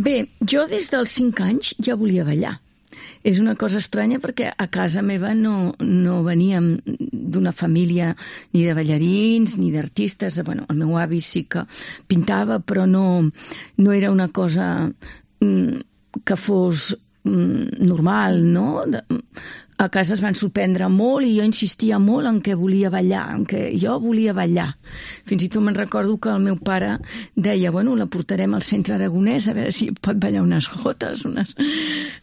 Bé, jo des dels 5 anys ja volia ballar. És una cosa estranya perquè a casa meva no veníem d'una família ni de ballarins ni d'artistes. Bueno, el meu avi sí que pintava, però no era una cosa que fos normal, no? A casa es van sorprendre molt i jo insistia molt en què volia ballar, en què jo volia ballar. Fins i tot me'n recordo que el meu pare deia, bueno, la portarem al centre aragonès a veure si pot ballar unes jotes,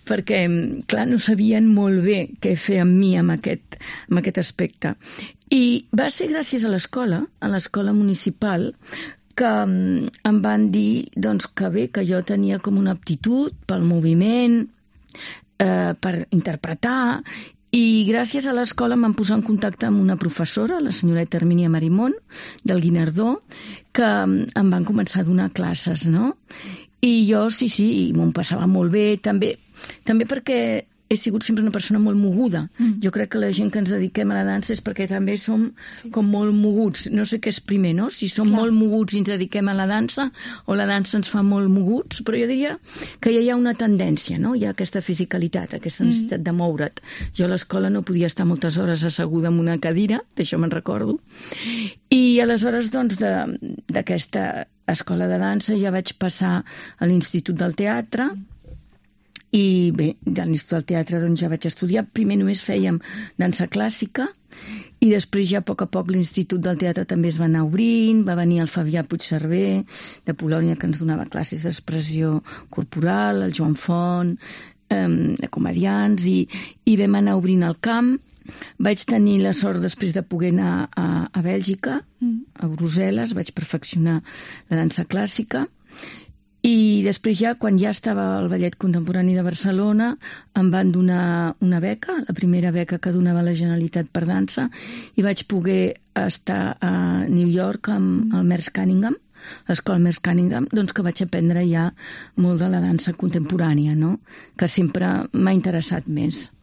perquè, clar, no sabien molt bé què fer amb mi amb aquest aspecte. I va ser gràcies a l'escola municipal, que em van dir doncs, que bé, que jo tenia com una aptitud pel moviment, per interpretar, i gràcies a l'escola em van posar en contacte amb una professora, la senyoreta Hermínia Marimón, del Guinardó, que em van començar a donar classes, no? I jo, sí, m'ho passava molt bé, també perquè he sigut sempre una persona molt moguda. Jo crec que la gent que ens dediquem a la dansa és perquè també som com molt moguts. No sé què és primer, no? Si som molt moguts i ens dediquem a la dansa o la dansa ens fa molt moguts, però jo diria que ja hi ha una tendència, no? Hi ha aquesta fisicalitat, aquesta necessitat de moure't. Jo a l'escola no podia estar moltes hores asseguda en una cadira, d'això me'n recordo. I aleshores, doncs, d'aquesta escola de dansa ja vaig passar a l'Institut del Teatre. I bé, de l'Institut del Teatre doncs, ja vaig estudiar. Primer només fèiem dansa clàssica i després ja a poc l'Institut del Teatre també es va anar obrint. Va venir el Fabià Puigcerver de Polònia, que ens donava classes d'expressió corporal, el Joan Font, de comediants, i vam anar obrint el camp. Vaig tenir la sort després de poder anar a Bèlgica, a Brussel·les, vaig perfeccionar la dansa clàssica. I després ja, quan ja estava al Ballet Contemporani de Barcelona, em van donar una beca, la primera beca que donava la Generalitat per dansa, i vaig poder estar a New York amb el Merce Cunningham, l'escola Merce Cunningham, doncs que vaig aprendre ja molt de la dansa contemporània, no? Que sempre m'ha interessat més.